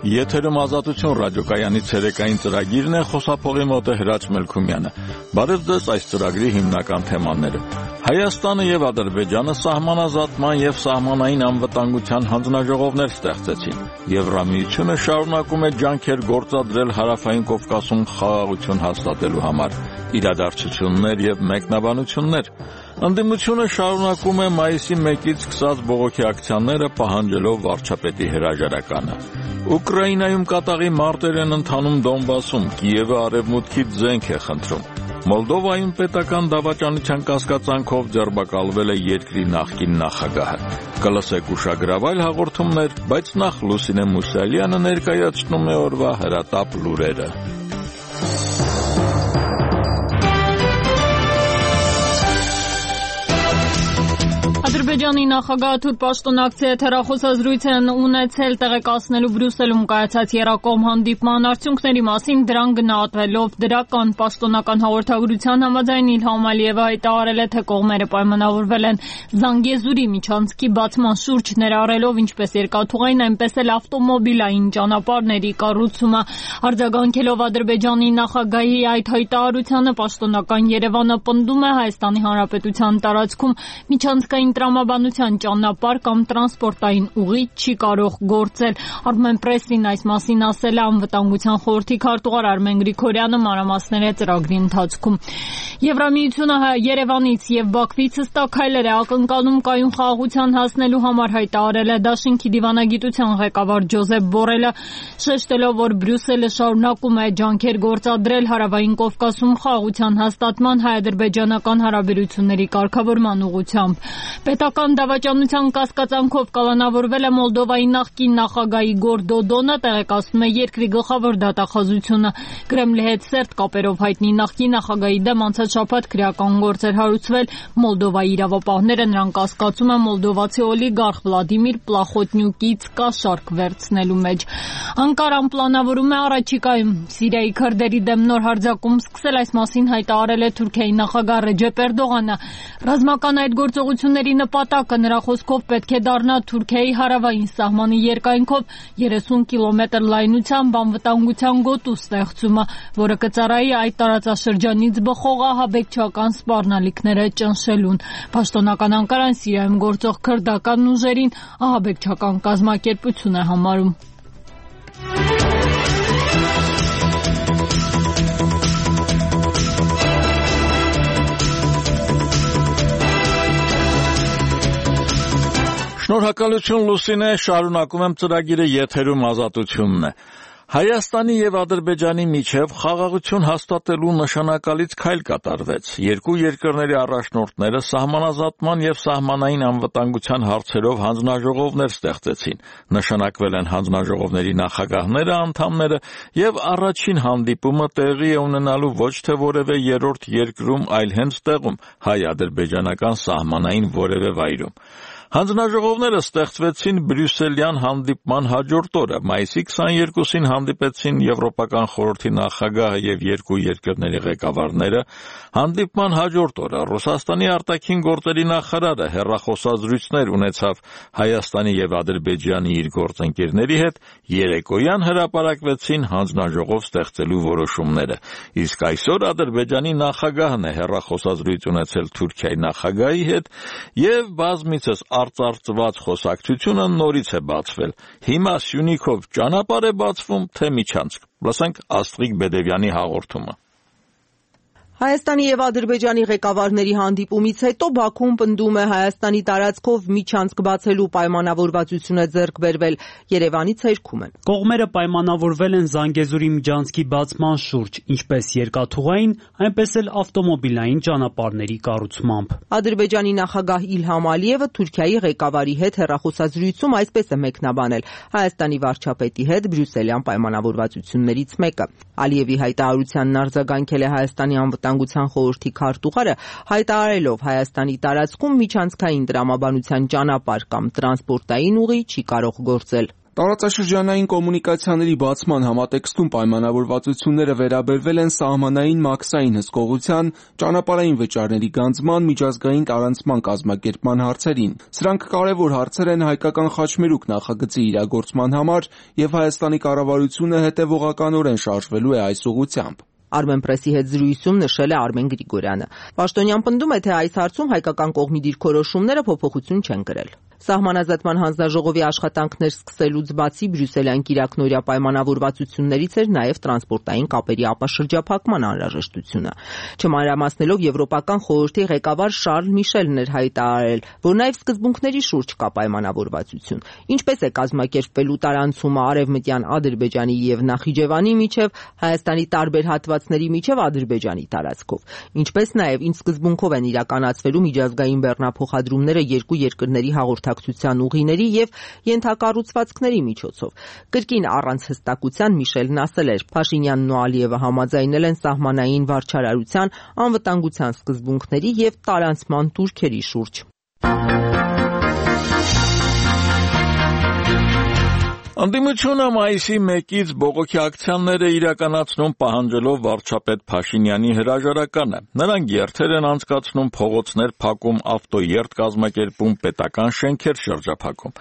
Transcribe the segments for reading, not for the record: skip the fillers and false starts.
Եթերում ազատություն ռադիոկայանի ցերեկային ծրագիրն է, խոսափողի մոտ է Հրաչ Մելքումյանը։ Բարև ձեզ, այս ծրագրի հիմնական թեմաները։ Հայաստանը եւ Ադրբեջանը սահմանազատման եւ սահմանային անվտանգության հանձնաժողովներ ստեղծեցին։ Եվրամիությունը շարունակում է ջանքեր գործադրել Հարավային Կովկասում խաղաղություն հաստատելու համար։ Իրադարձություններ եւ մեկնաբանություններ։ Ընդդիմությունը շարունակում է մայիսի 1-ից սկսած բողոքի ակցիաները, պահանջելով վարչապետի հրաժարականը։ Ուկրաինայում կատաղի մարտեր են ընթանում Դոնբասում, Կիևը արևմուտքից զենք է խնդրում։ Մոլդովայում պետական դավաճանության կասկածանքով ձերբակալվել է երկրի նախկին նախագահը։ Կլսեք ուշագրավայր հաղորդումներ, բայց նախ Լուսինե Մուսալյանը ներկայացնում է օրվա հրատապ լուրերը։ Ադրբեջանի նախագահը թուրք պաշտոնակցի հետ հեռախոսազրույց են ունեցել տեղեկացնելու Բրյուսելում կայացած եռակողմ հանդիպման արդյունքների մասին, դրան գնահատվելով դրական պաշտոնական հաղորդագրության համաձայն Իլհամ Ալիևը հայտարարել է, թե կողմերը պայմանավորվել են Զանգեզուրի միջանցքի բացման շուրջ, ներառելով ինչպես երկաթուղային, այնպես էլ ավտոմոբիլային ճանապարհների կառուցումը։ Արձագանքելով Ադրբեջանի նախագահի այդ հայտարարությանը, պաշտոնական Երևանը պնդում է Հայաստանի Հանրապետության տարածքում միջանցքային տրամաբանության ճանապարհ կամ տրանսպորտային ուղի չի կարող գործել։ Armen Press-ին այս մասին ասել է Անվտանգության խորհրդի քարտուղար Արմեն Գրիգորյանը մանրամասներ է ծրագրի ընթացքում։ Եվրամիությունը Երևանից եւ Բաքվից հստակ հայլեր է ակնկալում կայուն խաղաղության հասնելու համար, հայտարարել է Դաշինքի դիվանագիտության ղեկավար Ջոզեփ Բորելը, շեշտելով, որ Բրյուսելը շարունակում է ջանքեր գործադրել Հարավային Կովկասում խաղաղության հաստատման, հայ-ադրբեջանական հարաբերությունների կարգավորման ուղղությամբ։ Պետական դավաճանության կասկածանքով կալանավորվել է Մոլդովայի նախկին նախագահի Իգոր Դոդոնը, տեղեկացնում է երկրի գլխավոր դատախազությունը։ Կրեմլի հետ սերտ կապերով հայտնի նախկին նախագահի դեմ անցած շաբաթ քրեական գործ էր հարուցվել Մոլդովայի իրավապահները, նրան կասկածում են մոլդովացի օլիգարխ Վլադիմիր Պլախոտնյուկից կաշառք վերցնելու մեջ։ Անկարան պլանավորում է առաջիկայում Սիրիայի քրդերի դեմ նոր հարձակում սկսել, այս մասին հայտարարել է Թուրքիայի նախագահ Ռեջեփ Էրդողանը։ Ռազմական այդ գործողությունների նպատակը նրա խոսքով պետք է դառնա Թուրքիայի հարավային սահմանի երկայնքով 30 կիլոմետր լայնությամբ անվտանգության գոտու ստեղծումը, որը կծառայի այդ տարածաշրջանից բխող ահաբեկչական սպառնալիքները ճնշելուն։ Պաշտոնական Անկարան Սիրիայում գործող քրդական ուժերին ահաբեկչական կազմակերպություն է համարում։ Շնորհակալություն Լուսինե, շարունակում եմ ծրագիրը, եթերում ազատությունն է։ Հայաստանի եւ Ադրբեջանի միջև խաղաղություն հաստատելու նշանակալից քայլ կատարվեց։ Երկու երկրների առաջնորդները սահմանազատման եւ սահմանային անվտանգության հարցերով հանձնաժողովներ ստեղծեցին։ Նշանակվել են հանձնաժողովների նախագահները, անդամները եւ առաջին հանդիպումը տեղի է ունենալու ոչ թե որևէ երրորդ երկրում, այլ հենց տեղում, հայ-ադրբեջանական սահմանային որևէ վայրում։ Հանձնաժողովները ստեղծվեցին Բրյուսելյան հանդիպման հաջորդ օրը, մայիսի 22-ին հանդիպեցին Եվրոպական խորհրդի նախագահը եւ երկու երկրների ղեկավարները։ Հանդիպման հաջորդ օրը Ռուսաստանի արտաքին գործերի նախարարը հեռախոսազրույցներ ունեցավ Հայաստանի եւ Ադրբեջանի իր գործընկերների հետ, երեկոյան հրապարակվեցին հանձնաժողով ստեղծելու որոշումները։ Իսկ այսօր Ադրբեջանի նախագահն է հեռախոսազրույց ունեցել Թուրքիայի նախագահի հետ եւ բազմիցս արծարծված խոսակցությունը նորից է բացվել։ Հիմա Սյունիքով ճանապարհ է բացվում, թե միջանցք։ Լսենք Աստղիկ Բեդևյանի հաղորդումը։ Հայաստանի եւ Ադրբեջանի ղեկավարների հանդիպումից հետո Բաքուն պնդում է Հայաստանի տարածքով միջանցք բացելու պայմանավորվածություն է ձեռք բերվել, Երևանից հերքում են։ Կողմերը պայմանավորվել են Զանգեզուրի միջանցքի բացման շուրջ, ինչպես երկաթուղային, այնպես էլ ավտոմոբիլային ճանապարհների կառուցմամբ։ Ադրբեջանի նախագահ Իլհամ Ալիևը Թուրքիայի ղեկավարի հետ հեռախոսազրույցում այսպես է մեկնաբանել Հայաստանի վարչապետի հետ Բրյուսելյան պայմանավորվածություններից մեկը։ Ալիևի հայտարարությանն արձագանքել է Հայաստանի Անվտանգության խորհրդի քարտուղարը, հայտարարելով Հայաստանի տարածքում միջանցքային տրամաբանության ճանապարհ կամ տրանսպորտային ուղի չի կարող գործել։ Տարածաշրջանային կոմունիկացիաների բացման համատեքստում պայմանավորվածությունները վերաբերվել են սահմանային մաքսային հսկողության, ճանապարհային վճարների գանձման, միջազգային տարանցման կազմակերպման հարցերին։ Սրանք կարևոր հարցեր են հայկական խաչմերուկ նախագծի իրագործման համար, եւ Հայաստանի կառավարությունը հետևողականորեն շարժվելու է այս ուղղությամբ։ Armenpress-ի հետ զրույցում նշել է Արմեն Գրիգորյանը։ Պաշտոնյան պնդում է, թե այս հարցում հայկական կողմի դիրքորոշումները փոփոխություն չեն կրել։ Սահմանազատման հանձնաժողովի աշխատանքներ սկսելուց բացի բրյուսելյան կիրակնօրյա պայմանավորվածություններից էր նաև տրանսպորտային կապերի ապաշրջափակման անհրաժեշտությունը։ Չմանրամասնելով Եվրոպական խորհրդի ղեկավար Շարլ Միշելն էր հայտարարել, որ նաև սկզբունքների շուրջ կա պայմանավորվածություն։ Ինչպես է կազմակերպվելու տարանցումը Արևմտյան Ադրբեջանի եւ Նախիջևանի միջև, Հայաստանի տարբեր հատվածների միջև Ադրբեջանի տարածքով, ինչպես նաև ինչ սկզբունքով են իրականացվելու միջազգային բեռնափոխադրումները երկու երկրների հաղորդակցության ուղիների եւ ենթակառուցվածքների միջոցով։ Կրկին առանց հստակության Միշելն ասել էր. Փաշինյանն ու Ալիևը համաձայնել են սահմանային վարչարարության, անվտանգության սկզբունքների եւ տարանցման турքերի շուրջ։ Ընդդիմությունը մայիսի 1-ից բողոքի ակցիաներ է իրականացնում պահանջելով վարչապետ Փաշինյանի հրաժարականը։ Նրանք երթեր են անցկացնում, փողոցներ փակում, ավտոերթ կազմակերպում, պետական շենքեր շրջափակում։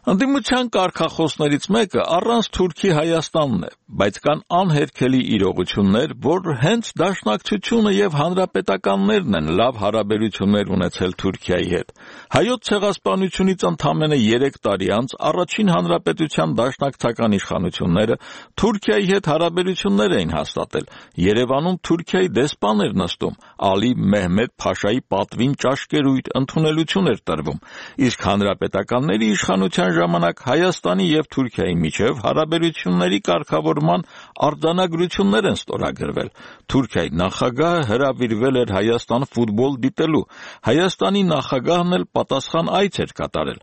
Ընդդիմության կարգախոսներից մեկը առանց Թուրքի Հայաստանն է, բայց կան անհերքելի իրողություններ, որ հենց դաշնակցությունը եւ հանրապետականներն են լավ հարաբերություններ ունեցել Թուրքիայի հետ։ Հայոց ցեղասպանությունից ընդամենը 3 տարի անց առաջին հանրապետության դաշնակցական իշխանությունները Թուրքիայի հետ հարաբերություններ էին հաստատել։ Երևանում Թուրքիայի դեսպան էր նստում, Ալի Մեհմեդ Փաշայի պատվին ճաշկերույթ ընդունելություն էր տրվում, իսկ հանրապետականների իշխանության ժամանակ Հայաստանի եւ Թուրքիայի միջև հարաբերությունների կարգավորման արձանագրություններ են ստորագրվել։ Թուրքիայի նախագահը հրավիրվել էր Հայաստան ֆուտբոլ դիտելու։ Հայաստանի նախագահն էլ պատասխան այց էր կատարել։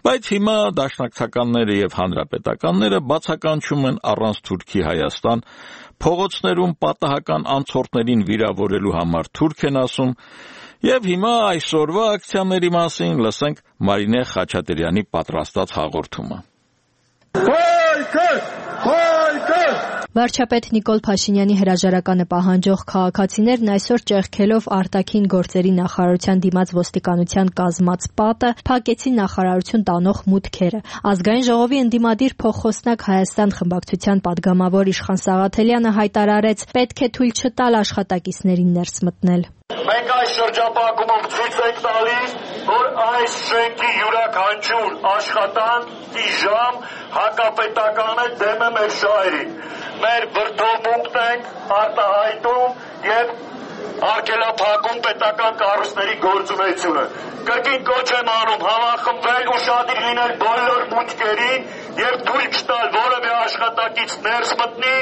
Բայց հիմա դաշնակցականները եւ հանրապետականները բացականչում են առանց Թուրքի Հայաստան, փողոցներում պատահական անցորդներին վիրավորելու համար թուրք են ասում։ Եվ հիմա այսօրվա ակցիաների մասին լսենք Մարինե Խաչատրյանի պատրաստած հաղորդումը։ Վարչապետ Նիկոլ Փաշինյանի հրաժարականը պահանջող քաղաքացիներն այսօր ճեղքելով արտաքին գործերի նախարարության դիմաց ոստիկանության կազմած պատը փակեցին նախարարություն տանող մուտքերը։ Ազգային ժողովի ընդդիմադիր փոխխոսնակ Հայաստան խմբակցության падգամավոր Իշխան Սաղաթելյանը հայտարարեց, պետք է թույլ չտալ աշխատակիցներին ներս մտնել։ Մենք այս շրջափակումով ցույց ենք տալիս, որ այս շենքի յուրաքանչյուր աշխատանքի ժամ հակապետականը դեմ է մեր շահերին։ Մեր վրդովմունքն ենք արտահայտում եւ արգելափակում պետական կառույցների գործունեությունը։ Կրկին կոչ եմ անում համախմբվել, ուշադիր լինել բոլոր մուտքերին եւ թույլ չտալ որևէ աշխատակից ներս մտնի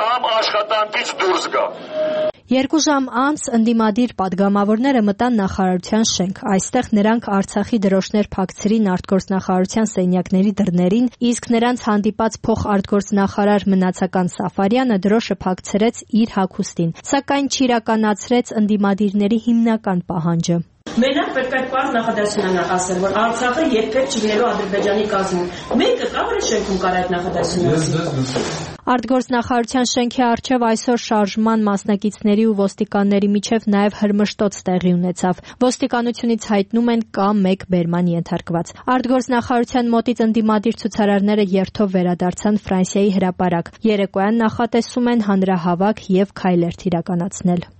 կամ աշխատանքից դուրս գա։ 2 ժամ անց ընդդիմադիր падգամավորները մտան նախարարության շենք։ Այստեղ նրանք Արցախի դրոշներ փակցրին արտգործնախարարության սենյակների դռներին, իսկ նրանց հանդիպած փոխարտգործնախարար Մնացական Սաֆարյանը դրոշը փակցրեց իր հագուստին, սակայն չիրականացրեց ընդդիմադիրների հիմնական պահանջը։ Մենակ պետք է այդ պարզ նախադասությունը նախասել, որ Արցախը երբեք չլինելու Ադրբեջանի կազմում։ Մեկը կա շենքում կար այդ նախադասությունը։ Արտգործնախարարության շենքի առջև այսօր շարժման մասնակիցների ու ոստիկանների միջև նաև հրմշտոց տեղի ունեցավ։ Ոստիկանությունից հայտնում են կա 1 բերման ենթարկված։ Արտգործնախարարության մոտից ընդդիմադիր ցուցարարները երթով վերադարձան Ֆրանսիայի հրապարակ։ Երեկոյան նախատեսում են հանրահավաք եւ քայլերթ իրականացնել։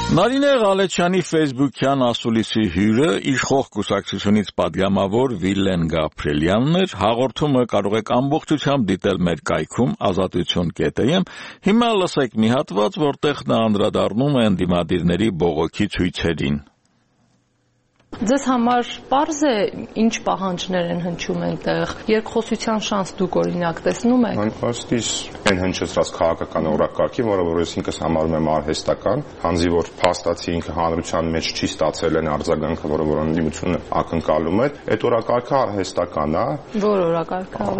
Նարինե Ղալեչյանի ֆեյսբուքյան ասուլիսի հյուրը իշխող կուսակցությունից падգամավոր Վիլեն Գաբրիելյանն էր։ Հաղորդումը կարող եք ամբողջությամբ դիտել մեր կայքում azatutyon.am։ Հիմա լսեք մի հատված, որտեղ նա անդրադառնում է ընդդիմադիրների բողոքի ցույցերին։ Ձեզ համար պարզ է ինչ պահանջներ են հնչում այնտեղ, երկխոսության շանս դուք օրինակ տեսնում եք։ Անպաստից այն հնչեցրած քաղաքական օրակարգի, որը որ ես ինքս համարում եմ արհեստական, քանզի որ փաստացի ինքը հանրության մեջ չի ստացել այն արձագանքը, որը որ ընդդիմությունը ակնկալում է, այդ օրակարգը արհեստական է։ Որ օրակարգը։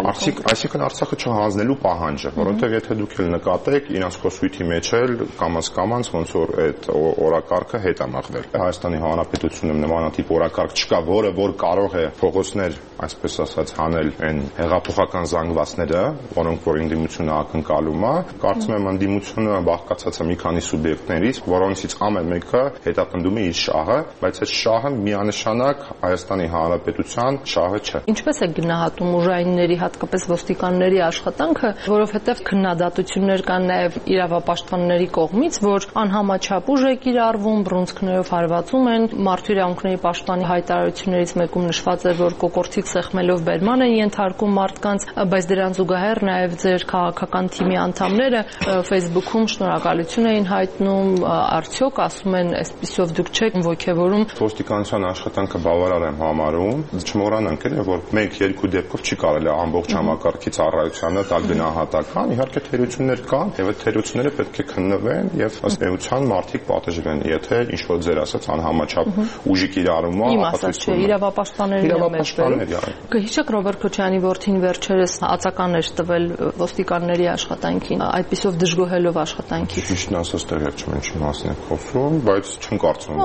Այսինքն Արցախը չհանձնելու պահանջը, որովհետև եթե դուք էլ նկատեք, իրանց խոսույթի մեջ էլ կամաց ոնց որ այդ օրակարգը հետ է մղվել։ Հայաստանի Հանրապետությունը նմանատիպ օրակարգ չկա, որը որ կարող է փողոցներ, այսպես ասած, հանել այն հեղափոխական զանգվածները, որոնք որ ընդդիմությունը ակնկալում է։ Կարծում եմ ընդդիմությունը բաղկացած է մի քանի սուբյեկտներից, որոնցից ամեն մեկը հետապնդում է իր շահը, բայց այդ շահը միանշանակ Հայաստանի Հանրապետության շահը չէ։ Ինչպես է գնահատում ուժայինների, հատկապես ոստիկանների աշխատանքը, որովհետև քննադատություններ կան նաև իրավապաշտպանների կողմից, որ անհամաչափ ուժ է կիրառվում, բռունցքներով հարվածում են, մարդու իրավունքների պաշտպանի հայտարարություններից մեկում նշված է, որ կոկորդից սեղմելով բերման են ենթարկում մարդկանց, բայց դրան զուգահեռ նաև ձեր քաղաքական թիմի անդամները Facebook-ում շնորհակալություն էին հայտնում, արդյոք ասում են, այսպիսով դուք չեք ոգևորում։ Ոստիկանության աշխատանքը բավարար եմ համարում, չմոռանանք էլ, որ 1-2 դեպքով չի կարելի համբողջ համակարգի ծառայությանը տալ գնահատական, իհարկե թերություններ կան, եւ այդ թերությունները պետք է քննվեն եւ ըստ էության մարդիկ պատժվեն, եթե ինչ որ ձեր ասած անհամաչափ ուժի կիրառումը ապացուցում է իրավապաշտպանների։ Կհիշեք Ռոբերտ Քոչարյանի որդին վերջերս ածական էր տվել ոստիկանների աշխատանքին, այդպիսով դժգոհելով աշխատանքից։ Ճիշտն ասած տեղյակ չեմ ինչի մասին եք խոսում, բայց չեմ կարծում,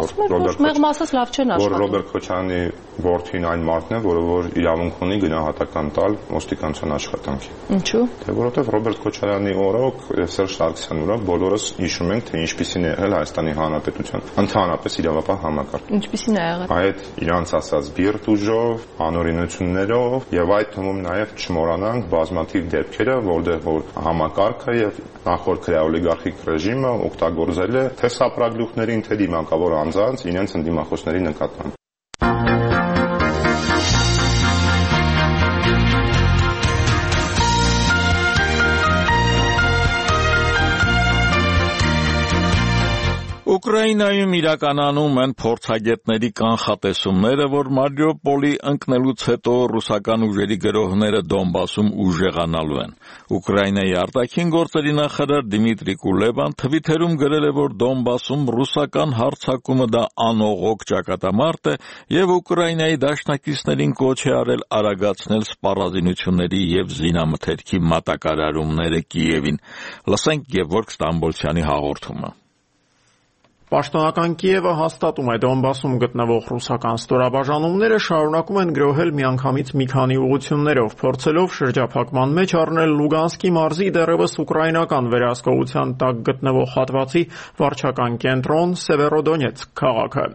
որ Ռոբերտ Քոչարյանի որդին այն մարդն է, որ իրավունք ունի գնահատական տալ ոստիկանության աշխատանքին։ Ինչու՞։ Թե որովհետև Ռոբերտ Քոչարյանի օրոք եւ Սերժ Սարգսյանի օրոք բոլորս հիշում ենք, թե ինչպիսին է եղել Հայաստանի Հանրապետության ընդհանրապես իրավապահ համակարգը։ Ինչպիսին է եղել։ Այդ իրանց ասած բիրտ ուժով, անօրինություններով եւ այդ թվում նաեւ չմոռանանք բազմաթիվ դեպքերը, որտեղ որ համակարգը եւ նախորդ քրեաօլիգարխիկ ռեժիմը օգտագործել է թե սապրագլուխներին, թե դիմակավոր անձանց իրենց ընդդիմախոսների նկատմամբ։ Ուկրաինայում իրականանում են փորձագետների կանխատեսումները, որ Մարիուպոլի ընկնելուց հետո ռուսական ուժերի գրոհները Դոնբասում ուժեղանալու են։ Ուկրաինայի արտաքին գործերի նախարար Դիմիտրի Կուլեբան Թվիթերում գրել է, որ Դոնբասում ռուսական հարձակումը դա անողոք ճակատամարտ է եւ Ուկրաինայի դաշնակիցներին կոչ է արել արագացնել սպառազինությունների եւ զինամթերքի մատակարարումները Կիևին։ Լսենք Գևորգ Ստամբոլցյանի հաղորդումը։ Պաշտոնական Կիևը հաստատում է Դոնբասում գտնվող ռուսական ստորաբաժանումները շարունակում են գրոհել միանգամից մի քանի ուղղություններով, փորձելով շրջափակման մեջ առնել Լուգանսկի մարզի դեռևս ուկրաինական վերահսկողության տակ գտնվող հատվածի վարչական կենտրոն Սևերոդոնեցկ քաղաքը։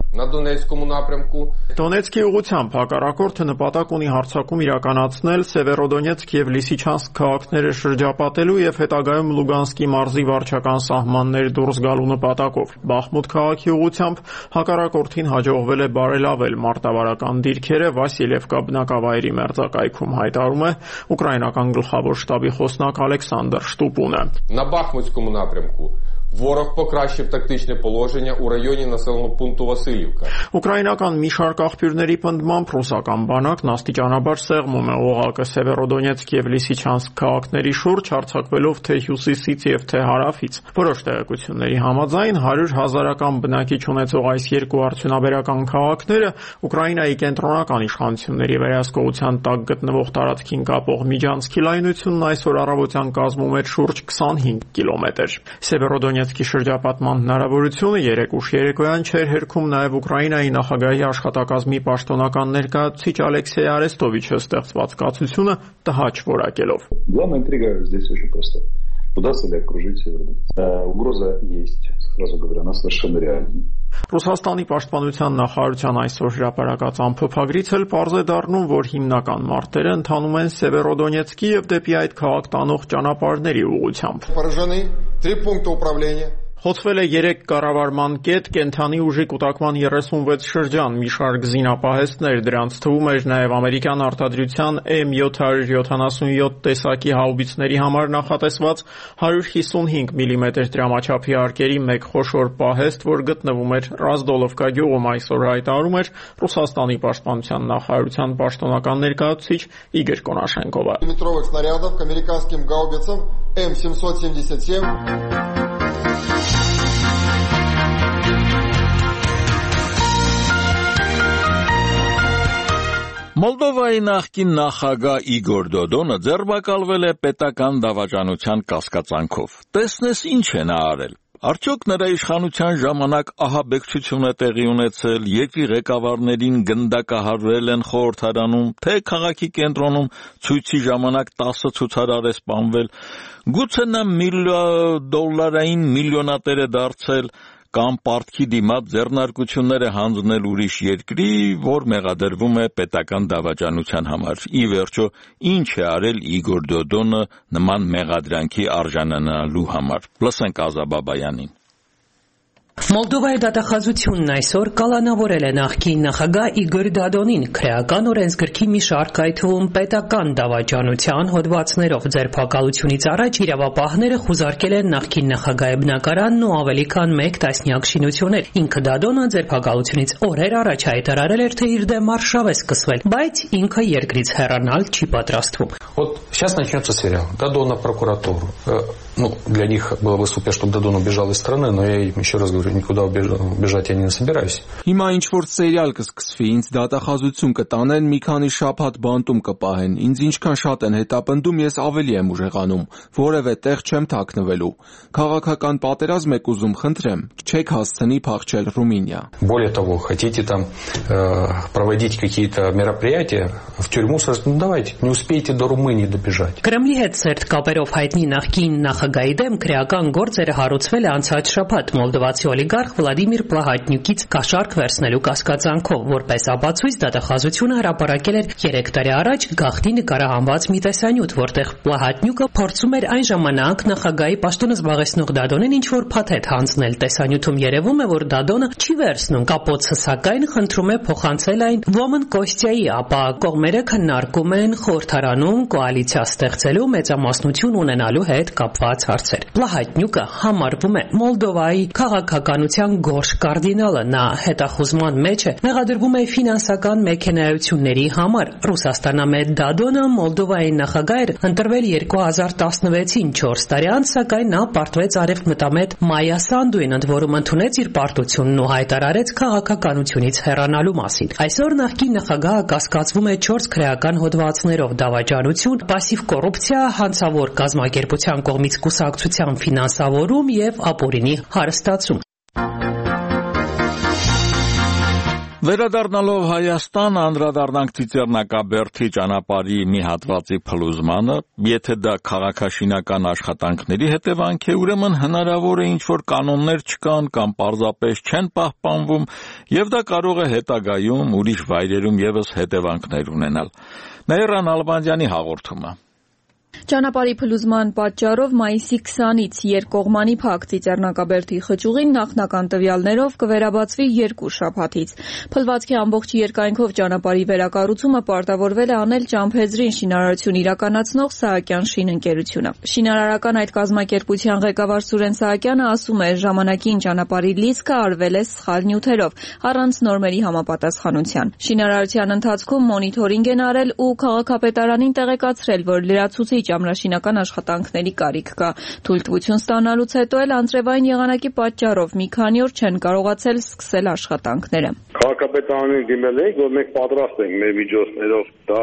Դոնեցկի ուղղությամբ հակառակորդը նպատակ ունի հարձակում իրականացնել Սևերոդոնեցկ եւ Լիսիչանսկ քաղաքները շրջապատելու եւ հետագայում Լուգանսկի մարզի վարչական սահմաններ դուրս գալու նպատակով։ Բախմուտ քաղաքի ուղղությամբ հակառակորդին հաջողվել է բարելավել մարտավարական դիրքերը Վասիլևկա բնակավայրի մերձակայքում, հայտարարում է ուկրաինական գլխավոր շտաբի խոսնակ Ալեքսանդր Շտուպունը։ На Бахмутському напрямку ворог покращив тактичне положення у районі населеного пункту Василівка. Ուկրաինական մի շարք աղբյուրների պնդմամբ ռուսական բանակն աստիճանաբար սեղմում է օղակը Սևերոդոնեցկ եւ Լիսիչանսկ քաղաքների շուրջ, հարձակվելով թե հյուսիսից եւ թե հարավից։ Որոշ տեղեկությունների համաձայն 100,000-ական բնակիչ ունեցող այս երկու արդյունաբերական քաղաքները Ուկրաինայի կենտրոնական իշխանությունների վերահսկողության տակ գտնվող տարածքին կապող միջանցքի լայնությունն այսօր առավոտյան կազմում էր շուրջ 25 կիլոմետր։ Սևերոդոնեցկի շրջապատման հնարավորությունը երեկ ուշ երեկոյան չէր հերքում նաև Ուկրաինայի նախագահի աշխատակազմի պաշտոնական ներկայացուցիչ Ալեքսեյ Արեստովիչը ստեղծված կացությունը տհաճ որակելով։ Главная интрига здесь очень проста. Удастся ли окружить Северодонецк? Угроза есть, сразу говорю, она совершенно реальна. Ռուսաստանի պաշտպանության նախարարության այսօր հրապարակած ամփոփագրից էլ պարզ է դառնում, որ հիմնական մարտերը ընթանում են Սևերոդոնեցկի եւ դեպի այդ քաղաք տանող ճանապարհների ուղղությամբ։ Խոցվել է 3 կառավարման կետ, կենթանի ուժի կուտակման 36 շրջան, մի շարք զինապահեստներ, դրանց թվում էր նաև ամերիկյան արտադրության M777 տեսակի հաուբիցների համար նախատեսված 155 մմ դրամաչափի արկերի մեկ խոշոր պահեստ, որ գտնվում էր Ռազդոլովկա գյուղում, այսօր հայտարարում էր Ռուսաստանի պաշտպանության նախարարության պաշտոնական ներկայացուցիչ Իգոր Կոնաշենկովը։ Метровых снарядов к американским гаубицам М777 Մոլդովայի նախկին նախագահ Իգոր Դոդոնը ձերբակալվել է պետական դավաճանության կասկածանքով։ Տեսնես ինչ է նա արել։ Արդյոք նրա իշխանության ժամանակ ահաբեկչություն է տեղի ունեցել, երկրի ղեկավարներին գնդակահարվել են խորհրդարանում, թե քաղաքի կենտրոնում ցույցի ժամանակ 10 ցուցարար է սպանվել, գուցե նա դոլարային միլիոնատեր է դարձել, կամ պարտքի դիմաց ձեռնարկություններ է հանձնել ուրիշ երկրի, որ մեղադրվում է պետական դավաճանության համար։ Ի վերջո, ինչ է արել Իգոր Դոդոնը նման մեղադրանքի արժանանալու համար։ Լսենք Ազա Բաբայանին։ Մոլդովայի դատախազությունն այսօր կալանավորել է նախկին նախագահ Իգոր Դոդոնին քրեական օրենսգրքի մի շարք, այդ թվում պետական դավաճանության հոդվածներով ձերբակալությունից առաջ իրավապահները խուզարկել են նախկին նախագահի բնակարանն ու ավելի քան 1 տասնյակ շինություններ։ Ինքը Դոդոնը ձերբակալությունից օրեր առաջ հայտարարել էր, թե իր դեմ արշավ է սկսվել, բայց ինքը երկրից հեռանալ չի պատրաստվում։ Вот сейчас начнется сериал. Додон на прокуратуру. Для них было бы супер, чтобы Додон убежал из страны, но я им еще раз говорю, никуда бежать я не собираюсь. Հիմա ինչ որ սերիալ կսկսվի, ինձ դատախազություն կտանեն, մի քանի շաբաթ բանտում կպահեն։ Ինձ ինչքան շատ են հետապնդում, ես ավելի եմ ուժեղանում, որևէ տեղ չեմ թաքնվելու։ Քաղաքական պատերազմ եք ուզում, խնդրեմ, չեք հասցնի փախչել Ռումինիա։ Более того, хотите там проводить какие-то мероприятия в тюрьму, давайте, не успеете до Румынии добежать. Կրեմլի հետ սերտ կապերով հայտնի նախկին նախագահի դեմ քրեական գործերը հարուցվել է անցած շաբաթ մոլդովացի օլիգարխ Վլադիմիր Պլահատնյուկից կաշառք վերցնելու կասկածանքով, որպես ապացույց դատախազությունը հրապարակել էր 3 տարի առաջ գաղտնի նկարահանված մի տեսանյութ, որտեղ Պլահատնյուկը փորձում էր այն ժամանակ նախագահի պաշտոնը զբաղեցնող Դոդոնին ինչ-որ փաթեթ հանձնել։ Տեսանյութում երևում է, որ Դոդոնը չի վերցնում կապոցը, սակայն խնդրում է փոխանցել այն Ոմն Կոստյայի, ապա կողմերը քննարկում են խորհրդարանում կոալիցիա ստեղծելու մեծամասնություն ունենալու հետ կապված հարցեր։ Պլահատնյուկը համարվում է Մոլդովայի քաղաքականության գորշ կարդինալը, նա հետախուզման մեջ է, մեղադրվում է ֆինանսական մեքենայությունների համար։ Ռուսաստանամետ Դոդոնը Մոլդովայի նախագահ էր ընտրվել 2016-ին 4 տարի անց, սակայն նա պարտվեց արևմտամետ Մայա Սանդուին, ընդ որում ընդունեց իր պարտությունն ու հայտարարեց քաղաքականությունից հեռանալու մասին։ Այսօր նախկին նախագահը կասկածվում է 4 քրեական հոդվածներով՝ դավաճանություն, պասիվ կոռուպցիա, հանցավոր կազմակերպության կողմից կուսակցության ֆինանսավորում եւ ապօրինի հարստացում։ Վերադառնալով Հայաստան, անդրադառնանք Ծիծեռնակաբերդի ճանապարհի մի հատվածի փլուզմանը, եթե դա քաղաքաշինական աշխատանքների հետևանք է, ուրեմն հնարավոր է ինչ-որ կանոններ չկան կամ պարզապես չեն պահպանվում, եւ դա կարող է հետագայում ուրիշ վայրերում եւս հետևանքներ ունենալ։ Նաիրա Նալբանդյանի հաղորդումը։ Ճանապարհի փլուզման պատճառով մայիսի 20-ից երկկողմանի փակ Ծիծեռնակաբերդի խճուղին նախնական տվյալներով կվերաբացվի 2 շաբաթից։ Փլվածքի ամբողջ երկայնքով ճանապարհի վերակառուցումը պարտավորվել է անել Ճամփեզրին շինարարություն իրականացնող Սահակյան շինընկերությունը։ Շինարարական այդ կազմակերպության ղեկավար Սուրեն Սահակյանը ասում է, ժամանակին ճանապարհի լիցքը արվել է սխալ նյութերով, առանց նորմերի համապատասխանության։ Շինարարության ընթացքում մոնիթորինգ են արել ու քաղաքապետարանին տեղեկացրել, որ լրացուցիչ ամրաշինական աշխատանքների կարիք կա։ Թույլտվություն ստանալուց հետո էլ անձրևային եղանակի պատճառով մի քանի օր չեն կարողացել սկսել աշխատանքները։ Քաղաքապետարանին դիմել ենք, որ մենք պատրաստ ենք մեր միջոցներով դա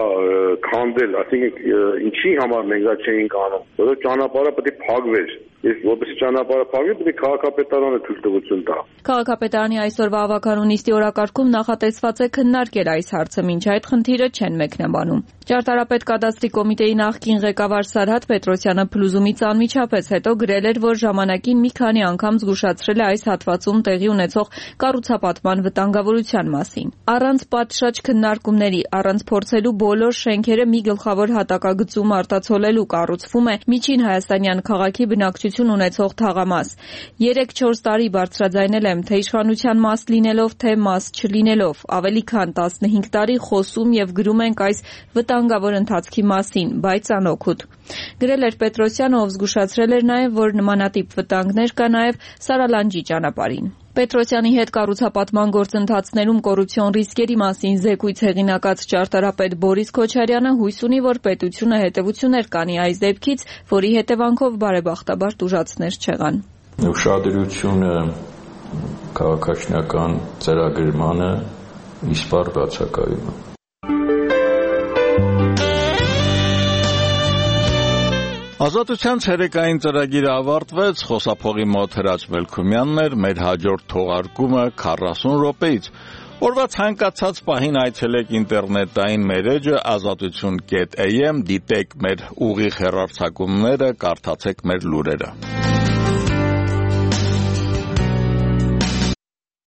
քանդել, այսինքն ինչի համար մենք դա չէինք անում, որովհետեւ ճանապարհը պետք է փակվեր։ Իսկ որպես ճանապարհը փակվի, պետք է քաղաքապետարանը թույլտվություն տա։ Քաղաքապետարանի այսօրվա ավականու նիստի օրակարգում նախատեսված է քննարկել այս հարցը, մինչ այդ խնդիրը չեն մեկնաբանում։ Ճարտարապետ կադաստրի կոմիտեի նախկին ղեկավար Սարհատ Պետրոսյանը փլուզումից անմիջապես հետո գրել էր, որ ժամանակին մի քանի անգամ զգուշացրել է այս հատվածում տեղի ունեցող կառուցապատման վտանգավորության մասին։ Առանց պատշաճ քննարկումների, առանց փորձելու բոլոր շենքերը մի գլխավոր հատակագծում արտացոլելու կառուցվում է Միջին Հայաստանյան քաղաքի բնակչության ազդեցություն ունեցող թաղամաս։ 3-4 տարի բարձրաձայնել եմ, թե իշխանության մաս լինելով, թե մաս չլինելով։ Ավելի քան 15 տարի խոսում եւ գրում ենք այս վտանգավոր ընթացքի մասին, բայց անօգուտ։ Գրել էր Պետրոսյանը, ով զգուշացրել էր նաեւ, որ նմանատիպ վտանգներ կա նաեւ Սարալանջի ճանապարհին։ Պետրոսյանի հետ կառուցապատման գործընթացներում կոռուպցիոն ռիսկերի մասին զեկույց հեղինակած ճարտարապետ Բորիս Քոչարյանը հույս ունի, որ պետությունը հետևություններ կանի այս դեպքից, որի հետևանքով բարեբախտաբար տուժածներ չեղան։ Ուշադրությունը քաղաքաշինական ծրագրմանը իսպառ բացակայում է։ Ազատության ցերեկային ծրագիրը ավարտվեց, խոսափողի մոտ Հրաչ Մելքումյանն էր, մեր հաջորդ թողարկումը 40 րոպեից։ Օրվա ցանկացած պահին այցելեք ինտերնետային մեր էջը azatutun.am, դիտեք մեր ուղիղ հեռարձակումները, կարդացեք մեր լուրերը։